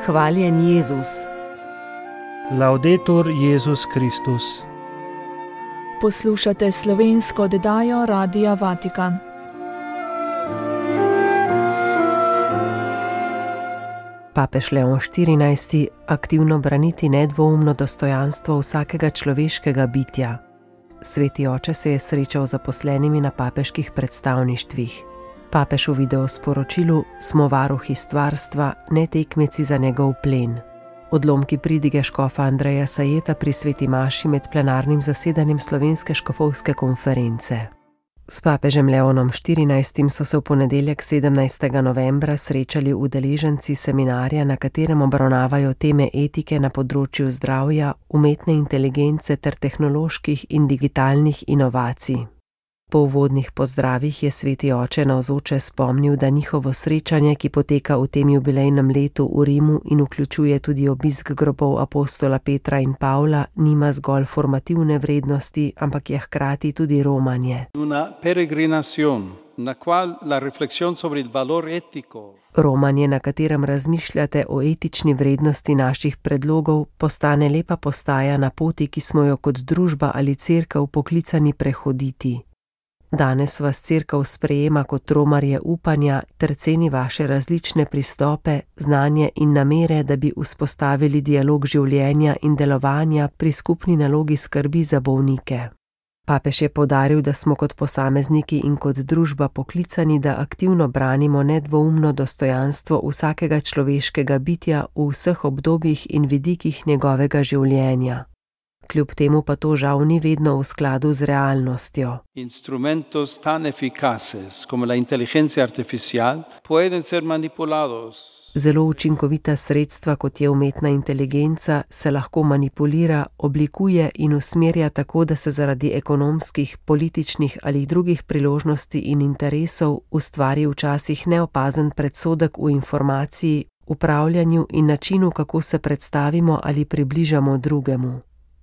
Hvaljen Jezus. Laudetur Jezus Kristus. Poslušate slovensko oddajo Radia Vatikan. Papež Leon XIV. Aktivno braniti nedvoumno dostojanstvo vsakega človeškega bitja. Sveti oče se je srečal z zaposlenimi na papeških predstavništvih. Papež v videosporočilu: smo varuhi stvarstva, ne tekmeci za njegov plen. Odlomki pridige škofa Andreja Sajeta pri sveti maši med plenarnim zasedanjem Slovenske škofovske konference. S papežem Leonom XIV. So se v ponedeljek 17. novembra srečali udeleženci seminarja, na katerem obravnavajo teme etike na področju zdravja, umetne inteligence ter tehnoloških in digitalnih inovacij. Po uvodnih pozdravih je sveti oče navzoče spomnil, da njihovo srečanje, ki poteka v tem jubilejnem letu v Rimu in vključuje tudi obisk grobov apostola Petra in Pavla, nima zgolj formativne vrednosti, ampak je hkrati tudi romanje. Romanje, na katerem razmišljate o etični vrednosti naših predlogov, postane lepa postaja na poti, ki smo jo kot družba ali cerkev poklicani prehoditi. Danes vas cerkev sprejema kot romarje upanja ter ceni vaše različne pristope, znanje in namere, da bi vzpostavili dialog življenja in delovanja pri skupni nalogi skrbi za bolnike. Papež je poudaril, da smo kot posamezniki in kot družba poklicani, da aktivno branimo nedvoumno dostojanstvo vsakega človeškega bitja v vseh obdobjih in vidikih njegovega življenja. Kljub temu pa to žal ni vedno v skladu z realnostjo. Instrumentos tan eficaces como la inteligencia artificial pueden ser manipulados. Zelo učinkovita sredstva, kot je umetna inteligenca, se lahko manipulira, oblikuje in usmerja tako, da se zaradi ekonomskih, političnih ali drugih priložnosti in interesov ustvari včasih neopazen predsodek v informaciji, upravljanju in načinu, kako se predstavimo ali približamo drugemu.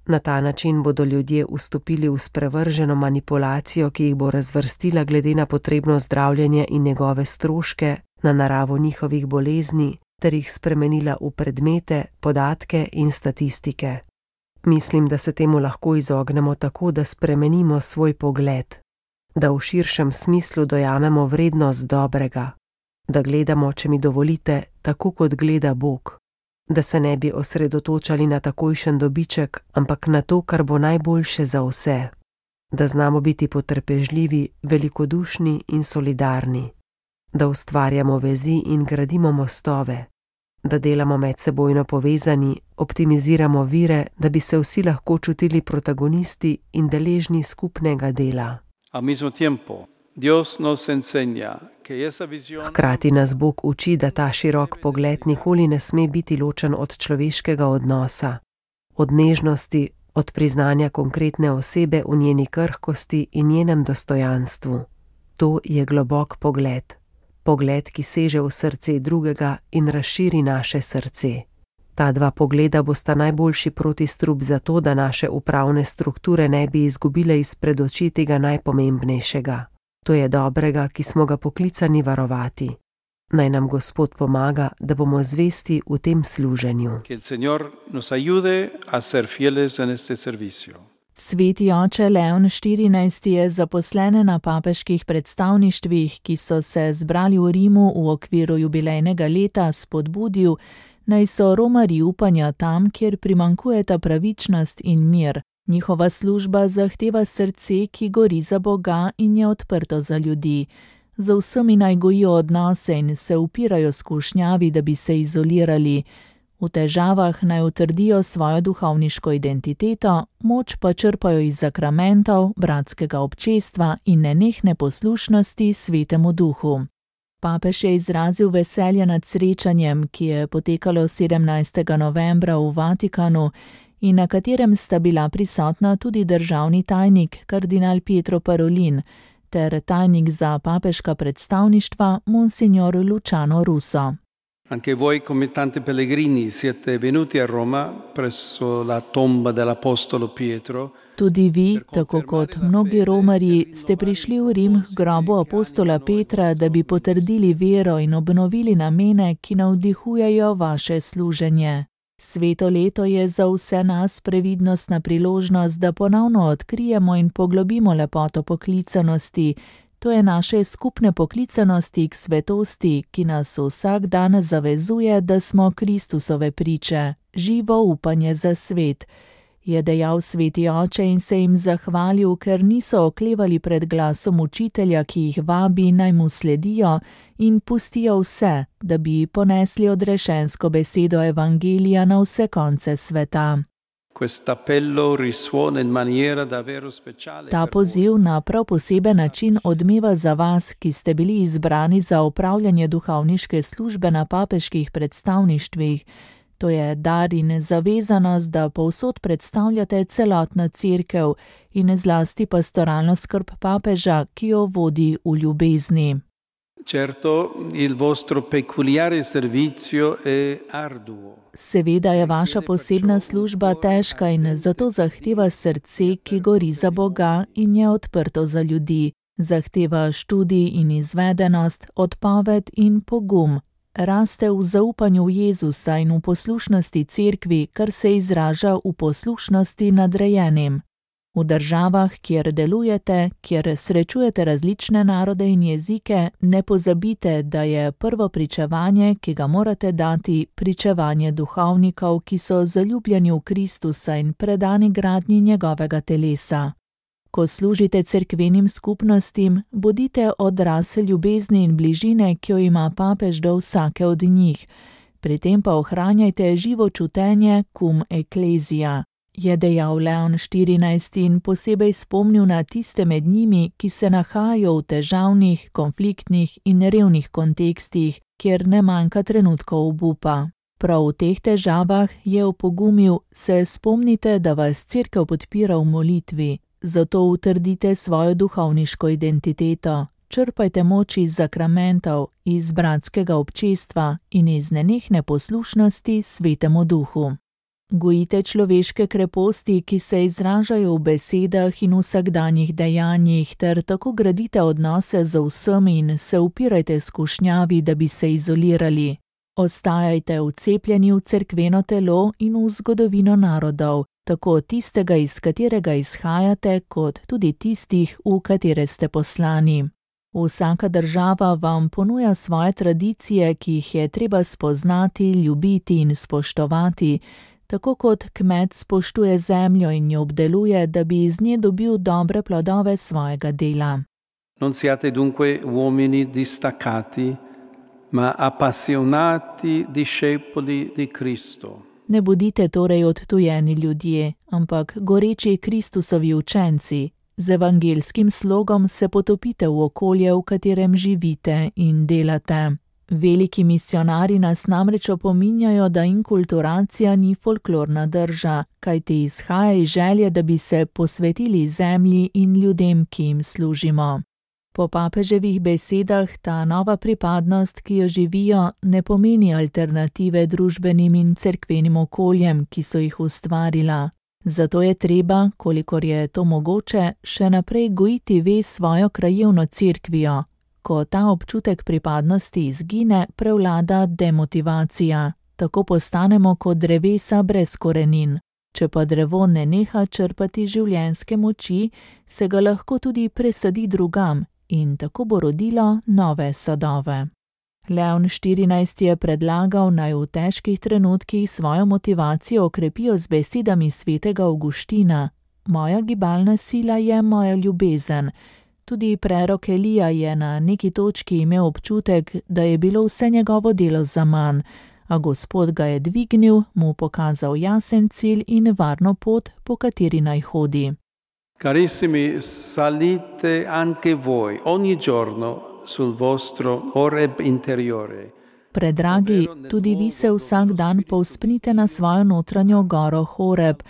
Na ta način bodo ljudje vstopili v sprevrženo manipulacijo, ki jih bo razvrstila glede na potrebno zdravljenje in njegove stroške, na naravo njihovih bolezni, ter jih spremenila v predmete, podatke in statistike. Mislim, da se temu lahko izognemo tako, da spremenimo svoj pogled, da v širšem smislu dojamemo vrednost dobrega, da gledamo, če mi dovolite, tako kot gleda Bog. Da se ne bi osredotočali na takojšen dobiček, ampak na to, kar bo najboljše za vse. Da znamo biti potrpežljivi, velikodušni in solidarni. Da ustvarjamo vezi in gradimo mostove. Da delamo medsebojno povezani, optimiziramo vire, da bi se vsi lahko čutili protagonisti in deležni skupnega dela. Hkrati nas Bog uči, da ta širok pogled nikoli ne sme biti ločen od človeškega odnosa, od nežnosti, od priznanja konkretne osebe v njeni krhkosti in njenem dostojanstvu. To je globok pogled, pogled, ki seže v srce drugega in razširi naše srce. Ta dva pogleda bosta najboljši protistrup za to, da naše upravne strukture ne bi izgubile izpred oči tega najpomembnejšega. To je dobrega, ki smo ga poklicani varovati. Naj nam Gospod pomaga, da bomo zvesti v tem služenju. Sveti oče Leon XIV. Je zaposlene na papeških predstavništvih, ki so se zbrali v Rimu v okviru jubilejnega leta, spodbudil, naj so romarji upanja tam, kjer primanjkujeta pravičnost in mir. Njihova služba zahteva srce, ki gori za Boga in je odprto za ljudi. Z vsemi naj gojijo odnose in se upirajo skušnjavi, da bi se izolirali. V težavah naj utrdijo svojo duhovniško identiteto, moč pa črpajo iz sakramentov, bratskega občestva in nenehne poslušnosti Svetemu Duhu. Papež je izrazil veselje nad srečanjem, ki je potekalo 17. novembra v Vatikanu, in na katerem sta bila prisotna tudi državni tajnik, kardinal Pietro Parolin, ter tajnik za papeška predstavništva, monsignor Luciano Russo. Anche voi, come tanti pellegrini, siete venuti a Roma presso la tomba dell'apostolo Pietro. Tudi vi, tako kot mnogi romarji, ste prišli v Rim k grobu apostola Petra, da bi potrdili vero in obnovili namene, ki navdihujejo vaše služenje. Sveto leto je za vse nas previdnostna priložnost, da ponovno odkrijemo in poglobimo lepoto poklicanosti. To je naše skupne poklicanosti k svetosti, ki nas vsak dan zavezuje, da smo Kristusove priče, živo upanje za svet, je dejal sveti oče in se jim zahvalil, ker niso oklevali pred glasom učitelja, ki jih vabi, naj mu sledijo in pustijo vse, da bi ponesli odrešensko besedo evangelija na vse konce sveta. Ta poziv na prav poseben način odmeva za vas, ki ste bili izbrani za opravljanje duhovniške službe na papeških predstavništvih. To je dar in zavezanost, da povsod predstavljate celotno cerkev in zlasti pastoralno skrb papeža, ki jo vodi v ljubezni. Seveda je vaša posebna služba težka in zato zahteva srce, ki gori za Boga in je odprto za ljudi. Zahteva študij in izvedenost, odpoved in pogum. Raste v zaupanju v Jezusa in v poslušnosti cerkvi, kar se izraža v poslušnosti nadrejenim. V državah, kjer delujete, kjer srečujete različne narode in jezike, ne pozabite, da je prvo pričevanje, ki ga morate dati, pričevanje duhovnikov, ki so zaljubljeni v Kristusa in predani gradnji njegovega telesa. Ko služite cerkvenim skupnostim, bodite odraz ljubezni in bližine, ki jo ima papež do vsake od njih. Pri tem pa ohranjajte živo čutenje cum ecclesia, je dejal Leon XIV in posebej spomnil na tiste med njimi, ki se nahajajo v težavnih, konfliktnih in revnih kontekstih, kjer ne manjka trenutkov obupa. Prav v teh težavah je opogumil, se spomnite, da vas cerkev podpira v molitvi. Zato utrdite svojo duhovniško identiteto, črpajte moč iz zakramentov, iz bratskega občestva in iz nenehne poslušnosti Svetemu Duhu. Gojite človeške kreposti, ki se izražajo v besedah in vsakdanjih dejanjih, ter tako gradite odnose z vsemi in se upirajte skušnjavi, da bi se izolirali. Ostajajte vcepljeni v cerkveno telo in v zgodovino narodov, tako tistega, iz katerega izhajate, kot tudi tistih, v katere ste poslani. Vsaka država vam ponuja svoje tradicije, ki jih je treba spoznati, ljubiti in spoštovati, tako kot kmet spoštuje zemljo in jo obdeluje, da bi iz nje dobil dobre plodove svojega dela. Non siate dunque uomini distaccati, ma appassionati discepoli di Cristo. Ne bodite torej odtujeni ljudje, ampak goreči Kristusovi učenci. Z evangelskim slogom se potopite v okolje, v katerem živite in delate. Veliki misionarji nas namreč opominjajo, da inkulturacija ni folklorna drža, kajti izhaja iz želje, da bi se posvetili zemlji in ljudem, ki jim služimo. Po papeževih besedah ta nova pripadnost, ki jo živijo, ne pomeni alternative družbenim in cerkvenim okoljem, ki so jih ustvarila. Zato je treba, kolikor je to mogoče, še naprej gojiti vez svojo krajevno cerkvijo. Ko ta občutek pripadnosti izgine, prevlada demotivacija. Tako postanemo kot drevesa brez korenin. Če pa drevo ne neha črpati življenjske moči, se ga lahko tudi presadi drugam in tako bo rodilo nove sadove. Leon XIV je predlagal, naj v težkih trenutkih svojo motivacijo okrepijo z besedami svetega Avguština. Moja gibalna sila je moja ljubezen. Tudi prerok Elija je na neki točki imel občutek, da je bilo vse njegovo delo zaman, a Gospod ga je dvignil, mu pokazal jasen cilj in varno pot, po kateri naj hodi. Carissimi, salite anche voi ogni giorno sul vostro oreb interiore. Predragi, tudi vi se vsak dan povzpnite na svojo notranjo goro Horeb,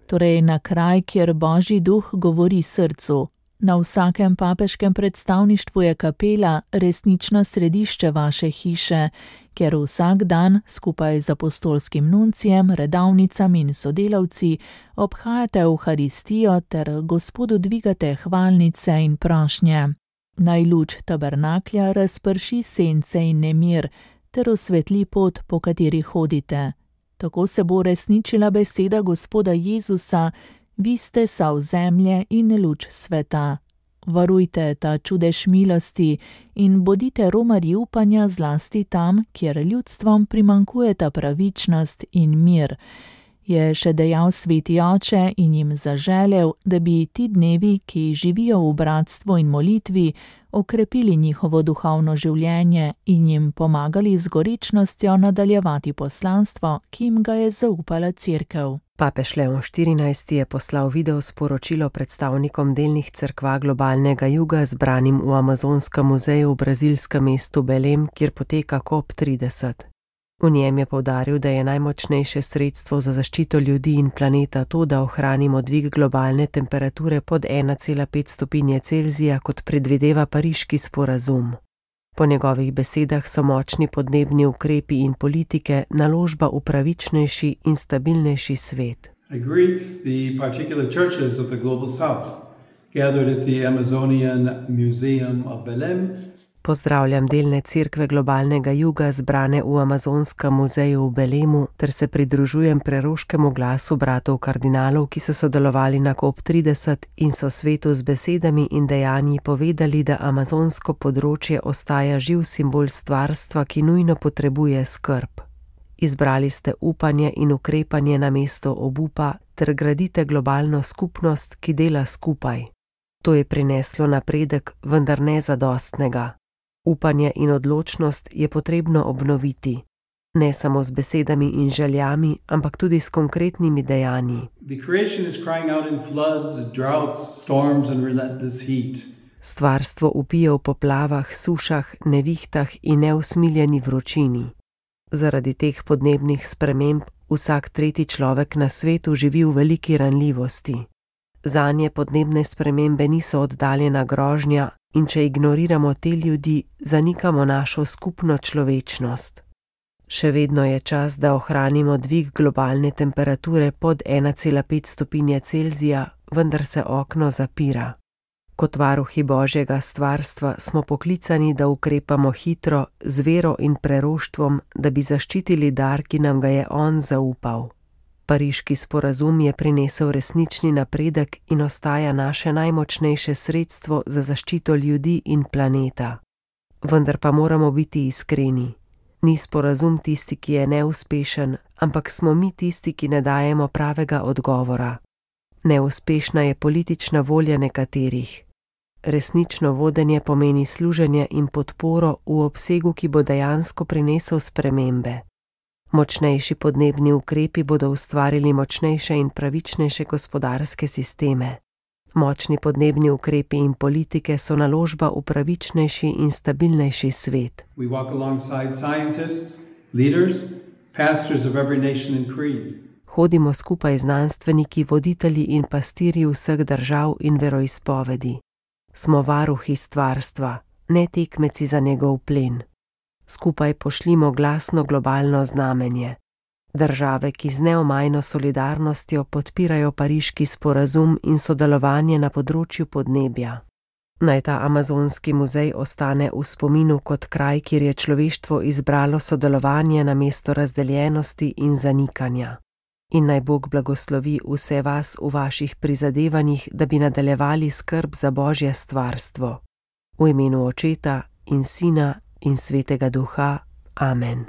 torej na kraj, kjer Božji duh govori srcu. Na vsakem papeškem predstavništvu je kapela resnično središče vaše hiše, kjer vsak dan skupaj z apostolskim nuncijem, redavnicami in sodelavci obhajate Evharistijo ter Gospodu dvigate hvalnice in prošnje. Naj luč tabernaklja razprši sence in nemir ter osvetli pot, po kateri hodite. Tako se bo resničila beseda Gospoda Jezusa: vi ste sol zemlje in luč sveta. Varujte ta čudež milosti in bodite romarji upanja zlasti tam, kjer ljudstvom primanjkujeta pravičnost in mir. Je še dejal Sveti Oče in jim zaželel, da bi ti dnevi, ki živijo v bratstvu in molitvi, okrepili njihovo duhovno življenje in jim pomagali z gorečnostjo nadaljevati poslanstvo, ki jim ga je zaupala Cerkev. Papež Leon XIV je poslal video sporočilo predstavnikom delnih cerkva globalnega juga zbranim v Amazonskem muzeju v brazilskem mestu Belém, kjer poteka COP30. V njem je poudaril, da je najmočnejše sredstvo za zaščito ljudi in planeta to, da ohranimo dvig globalne temperature pod 1,5 stopinje Celzija, kot predvideva pariški sporazum. Po njegovih besedah so močni podnebni ukrepi in politike naložba v pravičnejši in stabilnejši svet. I greet the particular churches of the Global South, gathered at the Amazonian Museum of Belém. Pozdravljam delne cerkve globalnega juga zbrane v Amazonskem muzeju v Belému ter se pridružujem preroškemu glasu bratov kardinalov, ki so sodelovali na COP30 in so svetu z besedami in dejanji povedali, da amazonsko področje ostaja živ simbol stvarstva, ki nujno potrebuje skrb. Izbrali ste upanje in ukrepanje namesto obupa ter gradite globalno skupnost, ki dela skupaj. To je prineslo napredek, vendar ne zadostnega. Upanje in odločnost je potrebno obnoviti, ne samo z besedami in željami, ampak tudi s konkretnimi dejanji. Stvarstvo vpije v poplavah, sušah, nevihtah in neusmiljeni vročini. Zaradi teh podnebnih sprememb vsak tretji človek na svetu živi v veliki ranljivosti. Zanje podnebne spremembe niso oddaljena grožnja in če ignoriramo te ljudi, zanikamo našo skupno človečnost. Še vedno je čas, da ohranimo dvig globalne temperature pod 1,5 stopinje Celzija, vendar se okno zapira. Kot varuhi Božjega stvarstva smo poklicani, da ukrepamo hitro, z vero in preroštvom, da bi zaščitili dar, ki nam ga je on zaupal. Pariški sporazum je prinesel resnični napredek in ostaja naše najmočnejše sredstvo za zaščito ljudi in planeta. Vendar pa moramo biti iskreni. Ni sporazum tisti, ki je neuspešen, ampak smo mi tisti, ki ne dajemo pravega odgovora. Neuspešna je politična volja nekaterih. Resnično vodenje pomeni služenje in podporo v obsegu, ki bo dejansko prinesel spremembe. Močnejši podnebni ukrepi bodo ustvarili močnejše in pravičnejše gospodarske sisteme. Močni podnebni ukrepi in politike so naložba v pravičnejši in stabilnejši svet. Hodimo skupaj znanstveniki, voditelji in pastirji vseh držav in veroizpovedi. Smo varuhi stvarstva, ne tekmeci za njegov plen. Skupaj pošljimo glasno globalno znamenje. Države, ki z neomajno solidarnostjo podpirajo pariški sporazum in sodelovanje na področju podnebja. Naj ta amazonski muzej ostane v spominu kot kraj, kjer je človeštvo izbralo sodelovanje namesto razdeljenosti in zanikanja. In naj Bog blagoslovi vse vas v vaših prizadevanjih, da bi nadaljevali skrb za Božje stvarstvo. V imenu Očeta in Sina in Svetega Duha. Amen.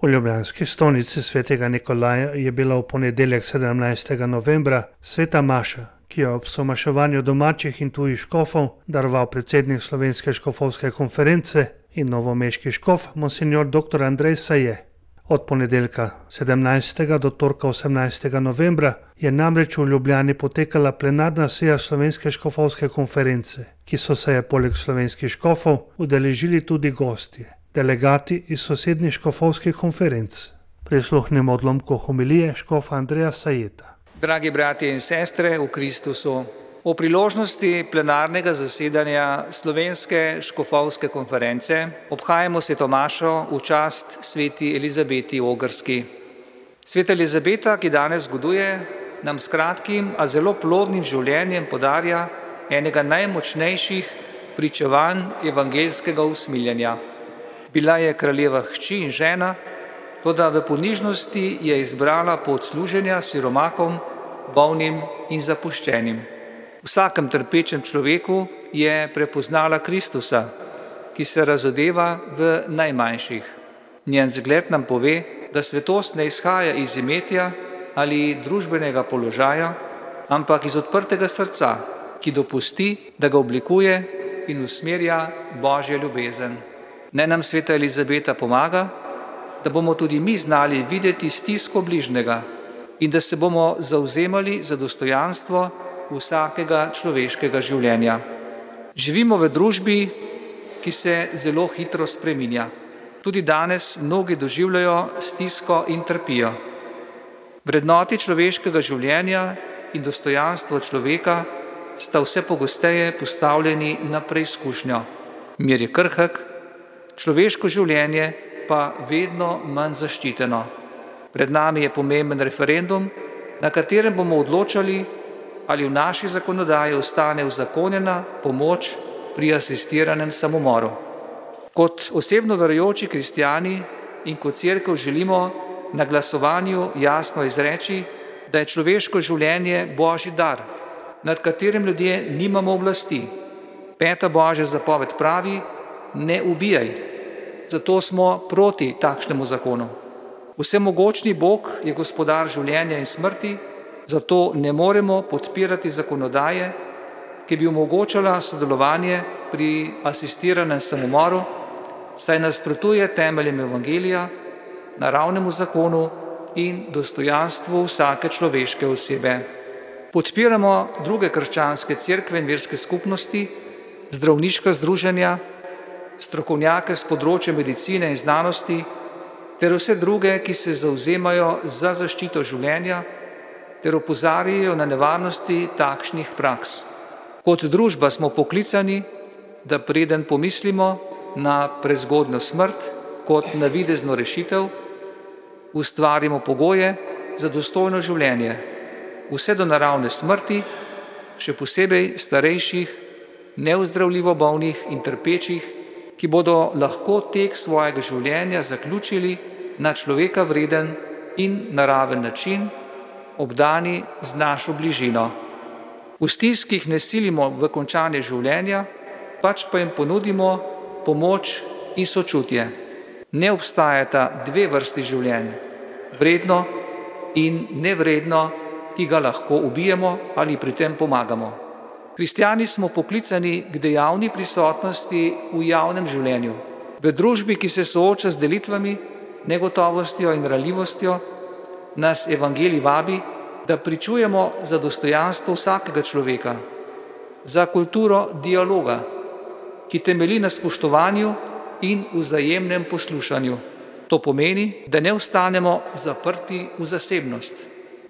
V ljubljanski stolnici svetega Nikolaja je bila v ponedeljek 17. novembra sveta maša, ki je ob somaševanju domačih in tujih škofov daroval predsednik Slovenske škofovske konference in novomeški škof monsignor dr. Andrej Saje. Od ponedeljka 17. do torka 18. novembra je namreč v Ljubljani potekala plenarna seja Slovenske škofovske konference, ki so se je poleg slovenskih škofov udeležili tudi gostje, delegati iz sosednjih škofovskih konferenc. Prisluhnimo odlomku homilije škofa Andreja Sajeta. Dragi bratje in sestre v Kristusu, O priložnosti plenarnega zasedanja Slovenske škofovske konference obhajamo sveto mašo v čast sveti Elizabeti Ogrski. Sveta Elizabeta, ki danes goduje, nam s kratkim, a zelo plodnim življenjem podarja enega najmočnejših pričevanj evangeljskega usmiljenja. Bila je kraljeva hči in žena, toda v ponižnosti je izbrala pot služenja siromakom, bolnim in zapuščenim. V vsakem trpečem človeku je prepoznala Kristusa, ki se razodeva v najmanjših. Njen zgled nam pove, da svetost ne izhaja iz imetja ali družbenega položaja, ampak iz odprtega srca, ki dopusti, da ga oblikuje in usmerja Božja ljubezen. Naj nam sveta Elizabeta pomaga, da bomo tudi mi znali videti stisko bližnjega in da se bomo zavzemali za dostojanstvo vsakega človeškega življenja. Živimo v družbi, ki se zelo hitro spreminja. Tudi danes mnogi doživljajo stisko in trpijo. Vrednoti človeškega življenja in dostojanstvo človeka sta vse pogosteje postavljeni na preizkušnjo. Mir je krhek, človeško življenje pa vedno manj zaščiteno. Pred nami je pomemben referendum, na katerem bomo odločali, ali v naši zakonodaji ostane uzakonjena pomoč pri asistiranem samomoru. Kot osebno verujoči kristjani in kot cerkev želimo na glasovanju jasno izreči, da je človeško življenje Božji dar, nad katerim ljudje nimamo oblasti. 5. Božja zapoved pravi: ne ubijaj. Zato smo proti takšnemu zakonu. Vsemogočni Bog je gospodar življenja in smrti, zato ne moremo podpirati zakonodaje, ki bi omogočala sodelovanje pri asistiranem samomoru, saj nasprotuje temeljem evangelija, naravnemu zakonu in dostojanstvu vsake človeške osebe. Podpiramo druge krščanske cerkve in verske skupnosti, zdravniška združenja, strokovnjake s področja medicine in znanosti ter vse druge, ki se zavzemajo za zaščito življenja ter opozarjajo na nevarnosti takšnih praks. Kot družba smo poklicani, da preden pomislimo na prezgodnjo smrt kot navidezno rešitev, ustvarimo pogoje za dostojno življenje, vse do naravne smrti, še posebej starejših, neozdravljivo bolnih in trpečih, ki bodo lahko tek svojega življenja zaključili na človeka vreden in naraven način, obdani z našo bližino. V stiskih ne silimo v končanje življenja, pač pa jim ponudimo pomoč in sočutje. Ne obstajata dve vrsti življenj, vredno in nevredno, ki ga lahko ubijemo ali pri tem pomagamo. Kristjani smo poklicani k dejavni prisotnosti v javnem življenju, v družbi, ki se sooča z delitvami, negotovostjo in ranljivostjo, nas evangelij vabi, da pričujemo za dostojanstvo vsakega človeka, za kulturo dialoga, ki temelji na spoštovanju in vzajemnem poslušanju. To pomeni, da ne ostanemo zaprti v zasebnost.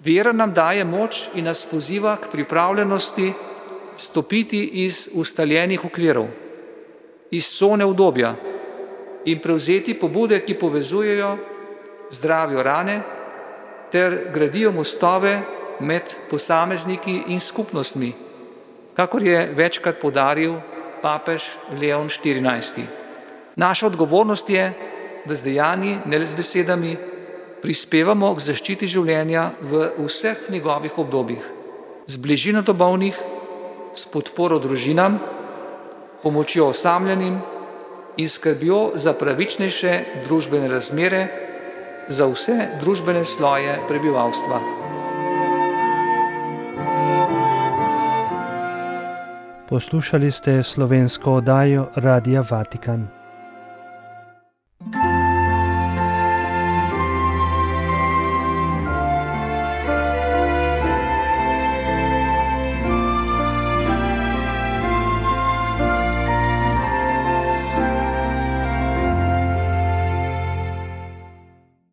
Vera nam daje moč in nas poziva k pripravljenosti stopiti iz ustaljenih okvirov, iz cone udobja in prevzeti pobude, ki povezujejo, zdravijo rane ter gradijo mostove med posamezniki in skupnostmi, kakor je večkrat poudaril papež Leon XIV. Naša odgovornost je, da z dejanji, ne le z besedami, prispevamo k zaščiti življenja v vseh njegovih obdobjih, z bližino do bolnih, s podporo družinam, pomočjo osamljenim in skrbjo za pravičnejše družbene razmere za vse družbene sloje prebivalstva. Poslušali ste slovensko oddajo Radia Vatikan.